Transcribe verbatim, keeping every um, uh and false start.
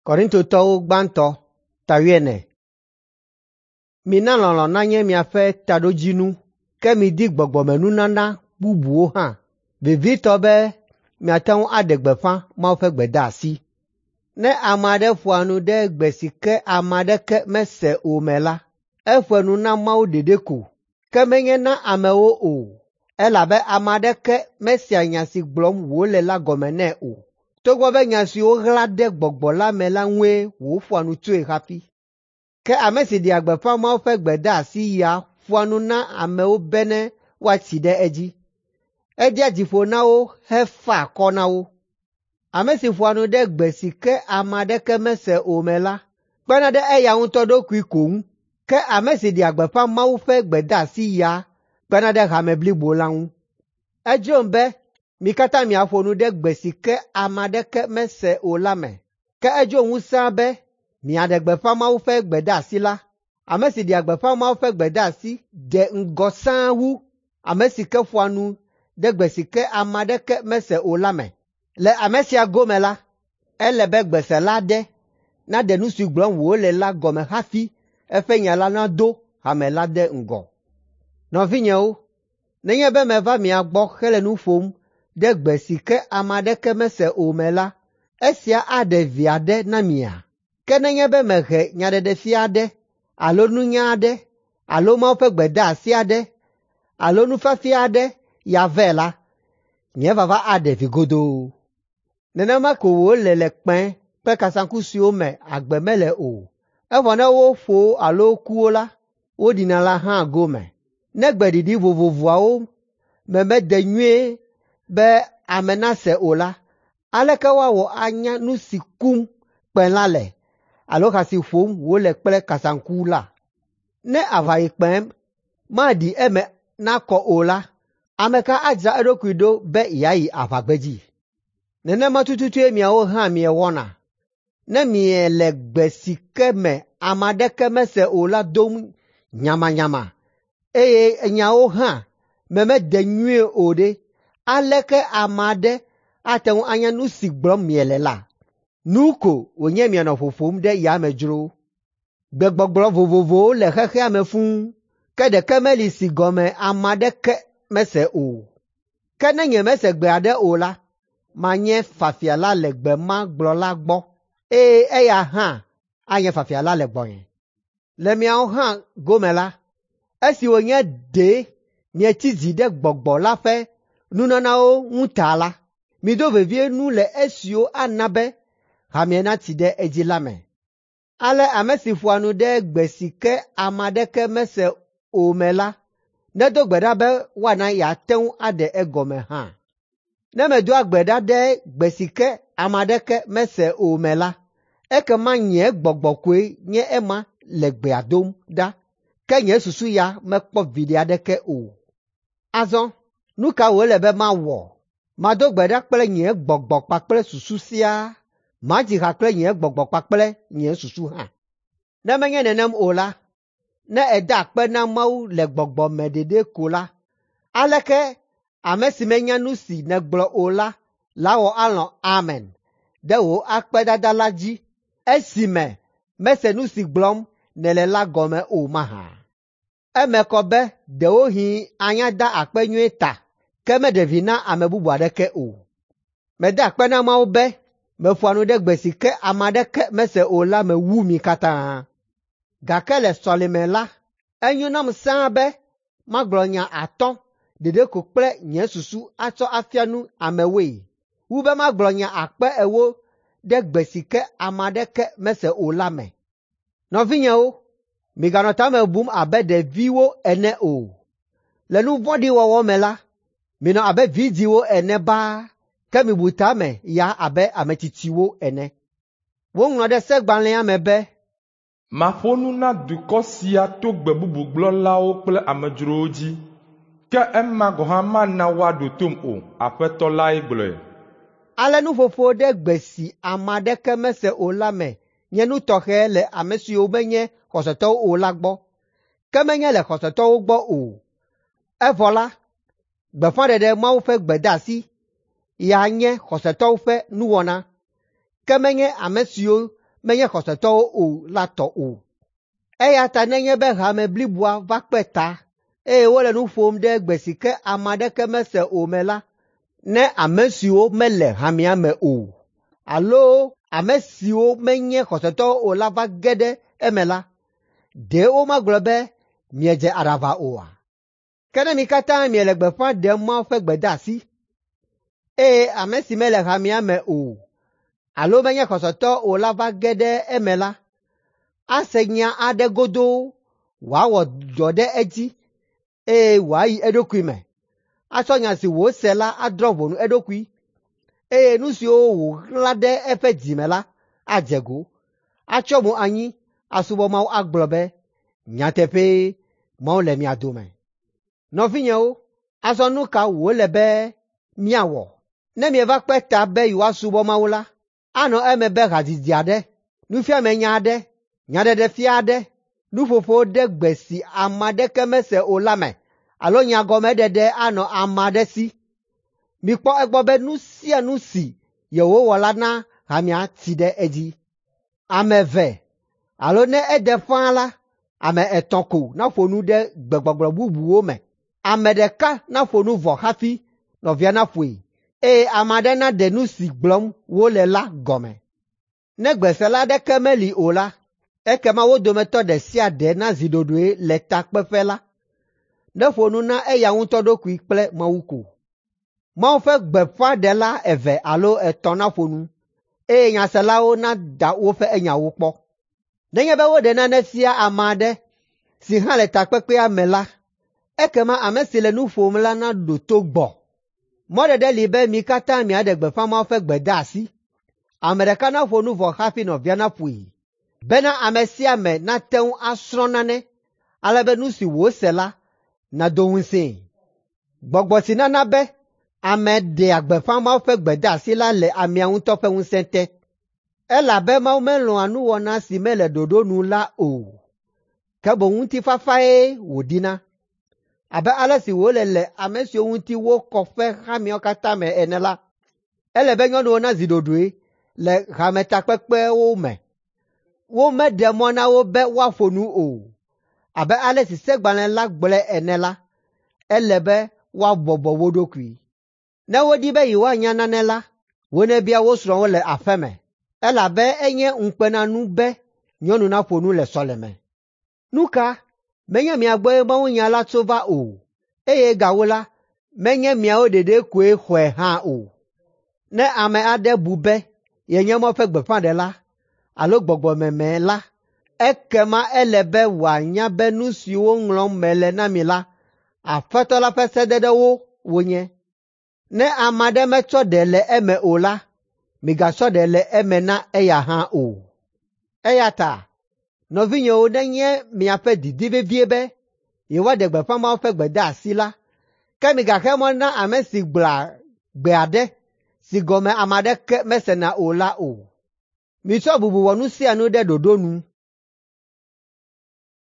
Korintotɔwo gbãtɔ ta wuiene. Mina lɔlɔ̃ nanye miaƒe taɖodzinu, ke midi gbɔgbɔmenunana bubuwo hã, vevitɔ be miate ŋu aɖe gbeƒã Mawu ƒe gbedeasi. Ne ame aɖe ƒoa nu ɖe gbe si ke ame aɖeke mese o me la, eƒoa nu na Mawu ɖeɖe ko, ke menye na amewo o, elabe ame aɖeke mesea nya si gblɔm wòle la gɔme nɛ o, togbɔ be nya siwo ɣla ɖe gbɔgbɔ la me la ŋue wòƒoa nu tsoe hafi. Ke ame si ɖea gbeƒã Mawu ƒe gbedeasi ya ƒoa nu na amewo bene woatsi ɖe edzi. Edea dzi ƒo na wo hefaa akɔ na wo. Ame si ƒoa nu ɖe gbe si ke ame aɖeke mese o me la, kpena ɖe eya ŋutɔ ɖokui ko ŋu, ke ame si ɖea gbeƒã Mawu ƒe gbedeasi ya kpena ɖe hame blibo la ŋu. Edzrom be mi katã miaƒo nu ɖe gbe si ke ame aɖeke mese o la me, ke edzrom wu sãa be miaɖe gbeƒã Mawu ƒe gbedeasi la. Ame si ɖea gbeƒã Mawu ƒe gbedeasi de ŋgɔ sãa wu ame si ke ƒoa nu ɖe gbe si ke ame aɖeke mese o la me. Le ame sia gome la, ele be gbesela aɖe naɖe nu si gblɔm wòle la gɔme hafi eƒe nya la nado hame la ɖe ŋgɔ. Nɔvinyewo, nenye be meva mia gbɔ hele nu ƒom ɖe gbe si ke ame aɖeke mese o me la, esia aɖe vi aɖe na mia? Ke nenye be mehe nyaɖeɖefia aɖe alo nunya aɖe alo Mawu ƒe gbedeasi aɖe alo nufiafia aɖe ya vɛ la, nye vava aɖe vi godoo. Nenema ko wòle le kpẽ kple kasaŋku siwo me agbe mele o, evɔ ne woƒo wo alo ku wo la, woɖina la hã gome. Ne gbeɖiɖi vovovoawo me mede nyuie be ame nase o la, aleke woawɔ anya nu si kum kpẽ la le alo ha si ƒom wòle kple kasaŋku la? Ne aʋayikpẽ maɖi eme nakɔ o la, ame ka adzra eɖokui ɖo be yeayi aʋagbedzi? Nenema tututue miawo hã miewɔna. Ne miele gbe si ke me ame aɖeke mese o la dom nyamanyama eye nyawo hã me mede nyuie o ɖe, aleke ame aɖe ate ŋu anya nu si gblɔm miele la? Nu ko wònye mianɔ ƒoƒom ɖe yame dzro. Gbegbɔgblɔ vovovowo le xexea me fũu, ke ɖeke meli si gɔme ame aɖeke mese o. Ke ne nyemese gbe aɖe o la, manye fafiala le gbe ma gblɔla gbɔ, eye eya hã anye fafiala le gbɔnye. Le miawo hã gome la, esi wònye ɖe mietsi dzi ɖe gbɔgbɔ la ƒe nunanawo ŋu ta la, mido vevie nu le esiwo ana be hamea natsi ɖe edzi la me. Ale ame si ƒoa nu ɖe gbe si ke ame aɖeke mese o me la, nedo gbe ɖa be woana yeate ŋu aɖe egɔme hã. Ne medoa gbe ɖa ɖe gbe si ke ame aɖeke mese o me la, ekema nye gbɔgbɔ koe nye ema le gbea dom ɖa, ke nye susu ya mekpɔ viɖe aɖeke o. Azɔ, nu ka wòle be mawɔ? Mado gbe ɖa kple nye gbɔgbɔ kpakple susu siaa. Madzi ha kple nye gbɔgbɔ kpakple nye susu hã. Ne menye nenem o la, ne èda akpe na Mawu le gbɔgbɔ me ɖeɖe ko la, aleke ame si menya nu si nègblɔ o la lawɔ alɔ̃ “Amen” ɖe wò akpedada la dzi esime mese nu si gblɔm nèle la gɔme o mahã? Eme kɔ be ɖewohĩ anya da akpe nyuie ta, ke meɖe vi na ame bubu aɖeke o. Meda akpe na Mawu be meƒoa nu ɖe gbe si ke ame aɖeke mese o la me wu mi katã. Gake le sɔleme la, enyo nam sãa be magblɔ nya atɔ̃ ɖeɖe ko kple nye susu atsɔ afia nu amewoe, wu be magblɔ nya akpe ewo ɖe gbe si ke ame aɖeke mese o la me. Nɔvinyewo, miganɔ tame bum abe ɖeviwo ene o. Le nu vɔ̃ɖi wɔwɔ me la, minɔ abe vidzĩwo ene baa, ke mibu tame ya abe ame tsitsiwo ene. Woŋlɔ ɖe segbalẽa me be, Maƒo nu na dukɔ sia to gbe bubu gblɔlawo kple amedzrowo dzi, ke ema gɔ̃ hã mana woaɖo tom o. Aƒetɔ lae gblɔe. Ale nuƒoƒo ɖe gbe si ame aɖeke mese o la me nye nu tɔxɛ le ame siwo menye xɔsetɔwo o la gbɔ, ke menye le xɔsetɔwo gbɔ o. Evɔ la, gbeƒãɖeɖe Mawu ƒe gbedeasi ya nye xɔsetɔwo ƒe nuwɔna, ke menye ame siwo menye xɔsetɔwo o la tɔ o. Eya ta nenye be hame bliboa va kpe ta, eye wole nu ƒom ɖe gbe si ke ame aɖeke mese o me la, ne ame siwo mele hamea me o alo ame siwo menye xɔsetɔwo o la va ge ɖe eme la, ɖe womagblɔ be miedze aɖaʋa oa? Ke ne mi katã miele gbeƒã ɖem Mawu ƒe gbedeasi, eye ame si mele hamea me o alo menye xɔsetɔ o la va ge ɖe eme la, ase nya aɖe godoo wòawɔ dɔ ɖe edzi eye wòayi eɖokui me, atsɔ nya si wòse la adrɔ̃ ʋɔnu eɖokui, eye nu siwo wòɣla ɖe eƒe dzi me la adze go, atsyɔ mo anyi asubɔ Mawu agblɔ be, “Nyateƒee, Mawu le mia dome.” Nɔvinyewo, azɔ nu ka wòle be míawɔ? Ne mieva kpe ta be yewoasubɔ Mawu la, anɔ eme be hadzidzi aɖe, nufiamenya aɖe, nyaɖeɖefia aɖe, nuƒoƒo ɖe gbe si ame aɖeke mese o la me alo nyagɔmeɖeɖe anɔ ame aɖe si. Mikpɔ egbɔ be nu sia nu si yewowɔ la na hamea tsi ɖe edzi. Ame eve alo ne ede ƒãa la, ame etɔ̃ ko naƒo nu ɖe gbegbɔgblɔ bubuwo me. Ame ɖeka naƒo nu vɔ hafi nɔvia naƒoe, eye ame aɖe naɖe nu si gblɔm wole la gɔme. Ne gbesela aɖeke meli o la, ekema wo dometɔ ɖe sia ɖe nazi ɖoɖoe le takpeƒe la, neƒo nu na eya ŋutɔ ɖokui kple Mawu ko. Mawu ƒe gbeƒãɖela eve alo etɔ̃ naƒo nu, eye nyaselawo nada woƒe nyawo kpɔ. Nenye be woɖe nane fia ame aɖe si hã le takpekpea me la, ekema ame si le nu ƒom la naɖo to gbɔ. Mɔɖeɖe li be mi katã miaɖe gbeƒã Mawu ƒe gbedeasi. Ame ɖeka naƒo nu vɔ hafi nɔvia naƒoe, bena ame sia ame nate ŋu asrɔ̃ nane, ale be nu si wòse la nado ŋusẽe. Gbɔgbɔ si nana be ame ɖea gbeƒã Mawu ƒe gbedeasi la le amea ŋutɔ ƒe ŋusẽ te, elabe Mawu melɔ̃a nuwɔna si mele ɖoɖo nu la o, ke boŋ ŋutifafae wòdina. Abe ale si wòle le ame siwo ŋuti wokɔ ƒe hameawo katã me ene la, ele be nyɔnuwo nazi ɖoɖoe le hametakpekpewo me. Womeɖe mɔ na wo be woaƒo nu o. Abe ale si Segbalẽ la gblɔe ene la, ele be woabɔbɔ wo ɖokui. Ne wodi be yewoanya nane la, wonebia wo srɔ̃wo le aƒe me, elabe enye ŋukpenanu be nyɔnu naƒo nu le sɔleme. Nu ka? Menye mia gbɔe mawunya la tso va o, eye gawu la, menye miawo ɖeɖe koe xɔe hã o. Ne ame aɖe bu be yenye Mawu ƒe gbeƒãɖela alo gbɔgbɔmeme la, ekema ele be wòanya be nu siwo ŋlɔm mele na mi la, Aƒetɔ la ƒe sededewo wonye. Ne ame aɖe metsɔ ɖe le eme o la, migatsɔ ɖe le eme na eya hã o. Eya ta, nɔvinyewo nenye miaƒe didi vevie be yewoaɖe gbeƒã Mawu ƒe gbedeasi la, ke migaxe mɔ na ame si gblɔa gbe aɖe si gɔme ame aɖeke mesena o la o. Mitsɔ bubu wɔ nu sia nu ɖe ɖoɖo nu.